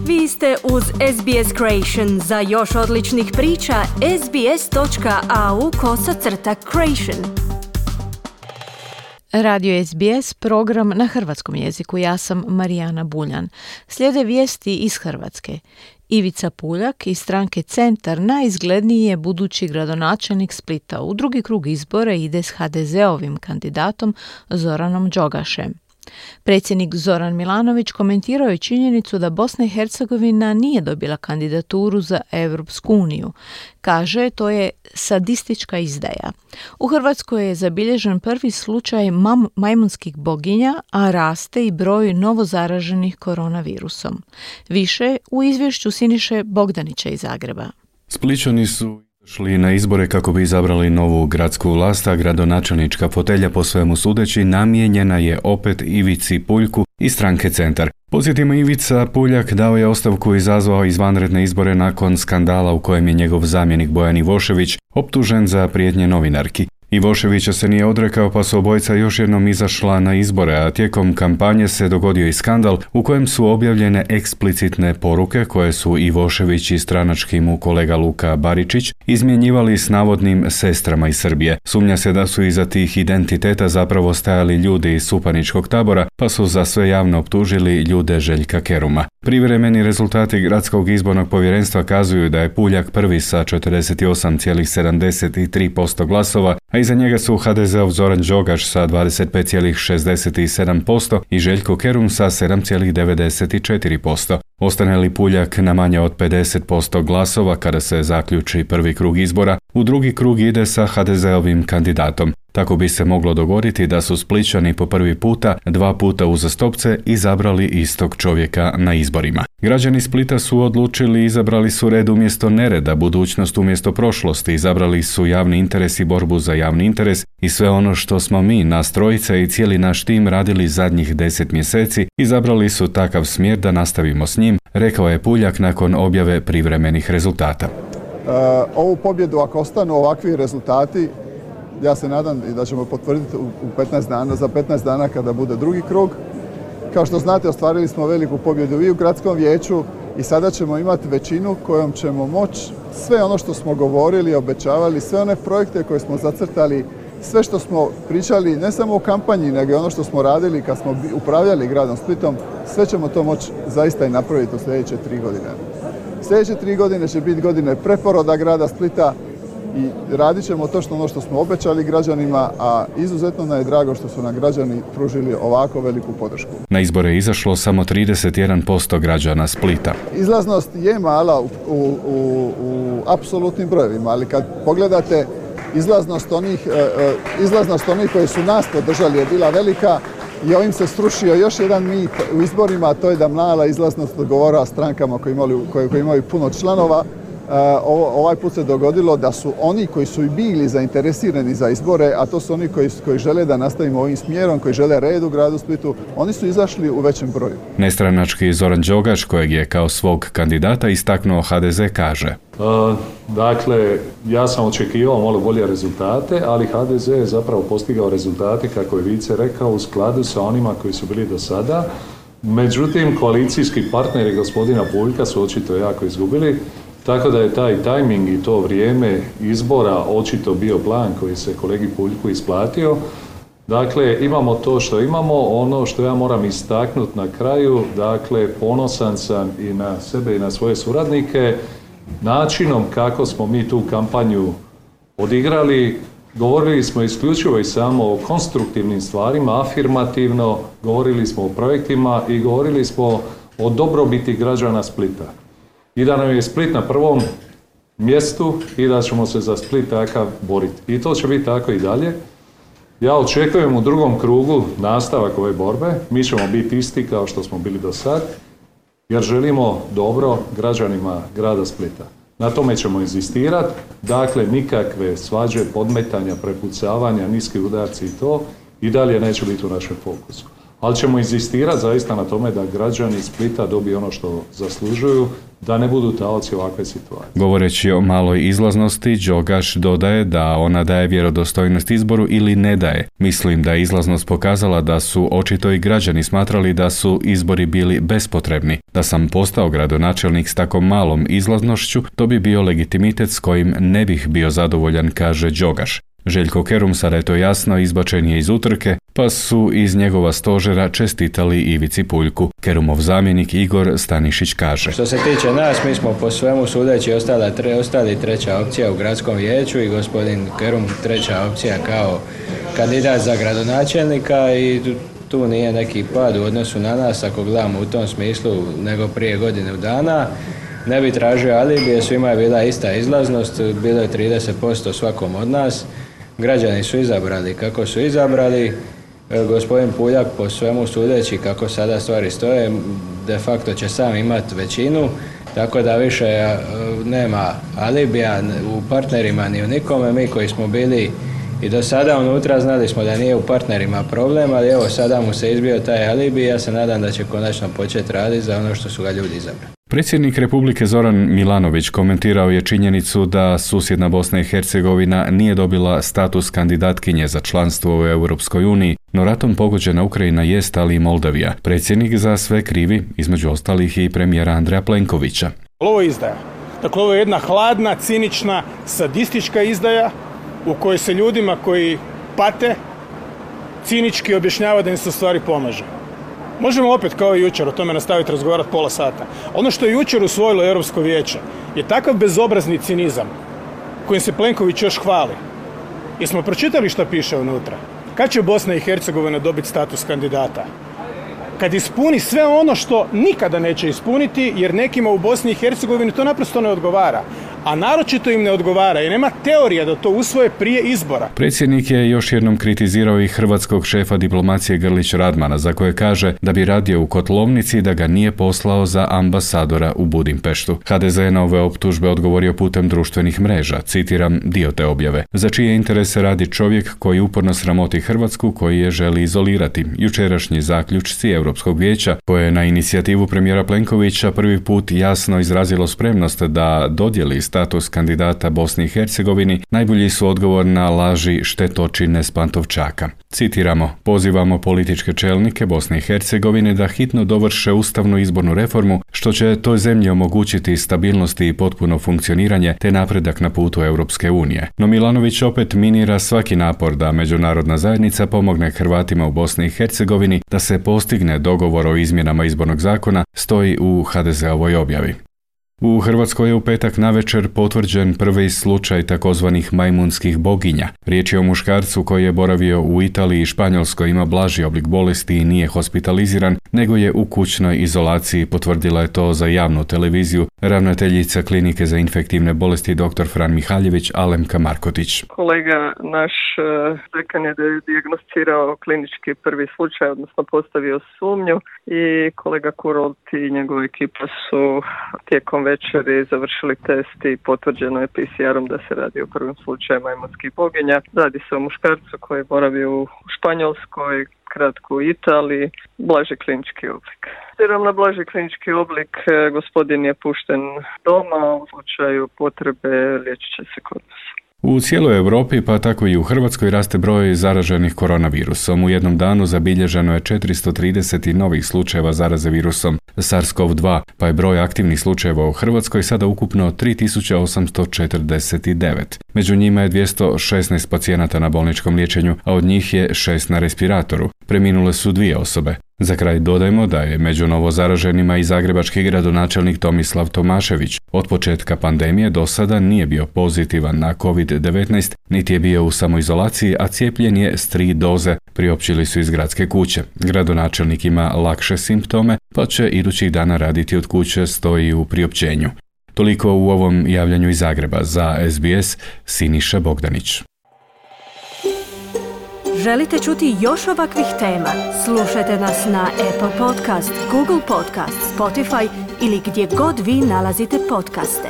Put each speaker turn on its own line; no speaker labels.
Vi ste uz SBS Creation. Za još odličnih priča, sbs.au/creation.
Radio SBS, program na hrvatskom jeziku. Ja sam Marijana Buljan. Slijede vijesti iz Hrvatske. Ivica Puljak iz stranke Centar najizgledniji je budući gradonačelnik Splita. U drugi krug izbora ide s HDZ-ovim kandidatom Zoranom Đogašem. Predsjednik Zoran Milanović komentirao je činjenicu da Bosna i Hercegovina nije dobila kandidaturu za Europsku uniju. Kaže, to je sadistička izdaja. U Hrvatskoj je zabilježen prvi slučaj majmunskih boginja, a raste i broj novozaraženih koronavirusom. Više u izvješću Siniše Bogdanića iz Zagreba.
Splićani su šli na izbore kako bi izabrali novu gradsku vlast, a gradonačelnička fotelja po svemu sudeći namijenjena je opet Ivici Puljku iz stranke Centar. Podsjetimo, Ivica Puljak dao je ostavku i izazvao izvanredne izbore nakon skandala u kojem je njegov zamjenik Bojan Ivošević optužen za prijetnje novinarki. Ivoševića se nije odrekao, pa su obojica još jednom izašla na izbore, a tijekom kampanje se dogodio i skandal u kojem su objavljene eksplicitne poruke koje su Ivošević i stranački mu kolega Luka Baričić izmjenjivali s navodnim sestrama iz Srbije. Sumnja se da su iza tih identiteta zapravo stajali ljudi iz supaničkog tabora, pa su za sve javno optužili ljude Željka Keruma. Privremeni rezultati Gradskog izbornog povjerenstva kazuju da je Puljak prvi sa 48,73% glasova, a iza njega su HDZ-ov Zoran Đogaš sa 25,67% i Željko Kerum sa 7,94%. Ostane li Puljak na manje od 50% glasova kada se zaključi prvi krug izbora, u drugi krug ide sa HDZ-ovim kandidatom. Tako bi se moglo dogoditi da su Splićani po prvi puta, 2 puta uzastopce izabrali istog čovjeka na izborima. Građani Splita su odlučili, izabrali su red umjesto nereda, budućnost umjesto prošlosti, izabrali su javni interes i borbu za javni interes i sve ono što smo mi, nas trojica i cijeli naš tim radili zadnjih 10 mjeseci, izabrali su takav smjer da nastavimo s njim, rekao je Puljak nakon objave privremenih rezultata.
Ovu pobjedu, ako ostanu ovakvi rezultati, ja se nadam i da ćemo potvrditi za 15 dana kada bude drugi krug. Kao što znate, ostvarili smo veliku pobjedu i u gradskom vijeću i sada ćemo imati većinu kojom ćemo moći sve ono što smo govorili, obećavali, sve one projekte koje smo zacrtali, sve što smo pričali ne samo u kampanji, nego i ono što smo radili kad smo upravljali gradom Splitom, sve ćemo to moći zaista i napraviti u sljedeće 3 godine. Sljedeće 3 godine će biti godine preporoda grada Splita i radit ćemo točno ono što smo obećali građanima, a izuzetno nam je drago što su nam građani pružili ovako veliku podršku.
Na izbore je izašlo samo 31% građana Splita.
Izlaznost je mala u apsolutnim brojevima, ali kad pogledate izlaznost onih koji su nas podržali je bila velika i ovim se srušio još jedan mit u izborima, a to je da mala izlaznost odgovara strankama koji imaju puno članova. Ovaj put se dogodilo da su oni koji su i bili zainteresirani za izbore, a to su oni koji žele da nastavimo ovim smjerom, koji žele red u gradu Splitu, oni su izašli u većem broju.
Nestranački Zoran Đogaš, kojeg je kao svog kandidata istaknuo HDZ, kaže:
Dakle, ja sam očekivao malo bolje rezultate, ali HDZ je zapravo postigao rezultate, kako je Vice rekao, u skladu sa onima koji su bili do sada. Međutim, koalicijski partneri gospodina Puljka su očito jako izgubili. Tako da je taj tajming i to vrijeme izbora očito bio plan koji se kolegi Puljku isplatio. Dakle, imamo to što imamo, ono što ja moram istaknuti na kraju, dakle, ponosan sam i na sebe i na svoje suradnike, načinom kako smo mi tu kampanju odigrali. Govorili smo isključivo i samo o konstruktivnim stvarima, afirmativno, govorili smo o projektima i govorili smo o dobrobiti građana Splita. I da nam je Split na prvom mjestu i da ćemo se za Split takav boriti. I to će biti tako i dalje. Ja očekujem u drugom krugu nastavak ove borbe. Mi ćemo biti isti kao što smo bili do sad, jer želimo dobro građanima grada Splita. Na tome ćemo inzistirati. Dakle, nikakve svađe, podmetanja, prepucavanja, niski udarci i to i dalje neće biti u našem fokusu. Ali ćemo inzistirati zaista na tome da građani Splita dobiju ono što zaslužuju, da ne budu taoci ovakve situacije.
Govoreći o maloj izlaznosti, Đogaš dodaje da ona daje vjerodostojnost izboru ili ne daje. Mislim da je izlaznost pokazala da su očito i građani smatrali da su izbori bili bespotrebni. Da sam postao gradonačelnik s tako malom izlaznošću, to bi bio legitimitet s kojim ne bih bio zadovoljan, kaže Đogaš. Željko Kerum, sada je to jasno, izbačen je iz utrke, pa su iz njegova stožera čestitali Ivici Puljku. Kerumov zamjenik Igor Stanišić kaže:
Što se tiče nas, mi smo po svemu sudeći ostali treća opcija u gradskom vijeću i gospodin Kerum treća opcija kao kandidat za gradonačelnika i tu nije neki pad u odnosu na nas, ako gledamo u tom smislu, nego prije godinu dana. Ne bi tražio alibije, svima je bila ista izlaznost, bilo je 30% svakom od nas. Građani su izabrali kako su izabrali. Gospodin Puljak, po svemu sudeći kako sada stvari stoje, de facto će sam imati većinu, tako da više nema alibija u partnerima ni u nikome. Mi koji smo bili i do sada unutra znali smo da nije u partnerima problem, ali evo sada mu se izbio taj alibi i ja se nadam da će konačno početi raditi za ono što su ga ljudi izabrali.
Predsjednik Republike Zoran Milanović komentirao je činjenicu da susjedna Bosna i Hercegovina nije dobila status kandidatkinje za članstvo u Europskoj uniji, no ratom pogođena Ukrajina jest, ali i Moldavija. Predsjednik za sve krivi, između ostalih i premijera Andreja Plenkovića.
Ovo je izdaja. Dakle, ovo je jedna hladna, cinična, sadistička izdaja u kojoj se ljudima koji pate cinički objašnjava da im se u stvari pomaže. Možemo opet kao i jučer o tome nastaviti razgovarati pola sata. Ono što je jučer usvojilo Europsko vijeće je takav bezobrazni cinizam kojim se Plenković još hvali. Jesmo pročitali što piše unutra? Kad će Bosna i Hercegovina dobiti status kandidata? Kad ispuni sve ono što nikada neće ispuniti, jer nekima u Bosni i Hercegovini to naprosto ne odgovara. A naročito im ne odgovara i nema teorija da to usvoje prije izbora.
Predsjednik je još jednom kritizirao i hrvatskog šefa diplomacije Grlić Radmana, za koje kaže da bi radio u kotlovnici da ga nije poslao za ambasadora u Budimpeštu. HDZ je na ove optužbe odgovorio putem društvenih mreža, citiram dio te objave. Za čije interese radi čovjek koji uporno sramoti Hrvatsku, koji je želi izolirati. Jučerašnji zaključci Europskog vijeća, koje je na inicijativu premijera Plenkovića prvi put jasno izrazilo spremnost da dodijeli status kandidata Bosni i Hercegovini, najbolji su odgovor na laži štetočine s Pantovčaka. Citiramo: pozivamo političke čelnike Bosne i Hercegovine da hitno dovrše ustavnu izbornu reformu, što će toj zemlji omogućiti stabilnost i potpuno funkcioniranje te napredak na putu Europske unije. No Milanović opet minira svaki napor da međunarodna zajednica pomogne Hrvatima u Bosni i Hercegovini da se postigne dogovor o izmjenama izbornog zakona, stoji u HDZ-ovoj objavi. U Hrvatskoj je u petak navečer potvrđen prvi slučaj takozvanih majmunskih boginja. Riječ je o muškarcu koji je boravio u Italiji i Španjolskoj, ima blaži oblik bolesti i nije hospitaliziran, nego je u kućnoj izolaciji, potvrdila je to za javnu televiziju ravnateljica klinike za infektivne bolesti dr. Fran Mihaljević Alemka Markotić.
Kolega naš dekan je dijagnosticirao klinički prvi slučaj, odnosno postavio sumnju i kolega Kurolt i njegova ekipa su tijekom večeri završili test i potvrđeno je PCR-om da se radi o prvom slučaju majmunskih boginja. Radi se o muškarcu koji boravi u Španjolskoj, kratko u Italiji, blaži klinički oblik. Obzirom na blaži klinički oblik, gospodin je pušten doma, u slučaju potrebe liječit će se kod nas.
U cijeloj Europi, pa tako i u Hrvatskoj, raste broj zaraženih koronavirusom. U jednom danu zabilježeno je 430 novih slučajeva zaraze virusom SARS-CoV-2, pa je broj aktivnih slučajeva u Hrvatskoj sada ukupno 3849. Među njima je 216 pacijenata na bolničkom liječenju, a od njih je 6 na respiratoru. Preminule su 2 osobe. Za kraj dodajmo da je među novozaraženima i zagrebački gradonačelnik Tomislav Tomašević. Od početka pandemije do sada nije bio pozitivan na COVID-19, niti je bio u samoizolaciji, a cijepljen je s 3 doze, priopćili su iz gradske kuće. Gradonačelnik ima lakše simptome, pa će idućih dana raditi od kuće, stoji u priopćenju. Toliko u ovom javljanju iz Zagreba. Za SBS, Siniša Bogdanić.
Želite čuti još ovakvih tema? Slušajte nas na Apple Podcast, Google Podcast, Spotify ili gdje god vi nalazite podcaste.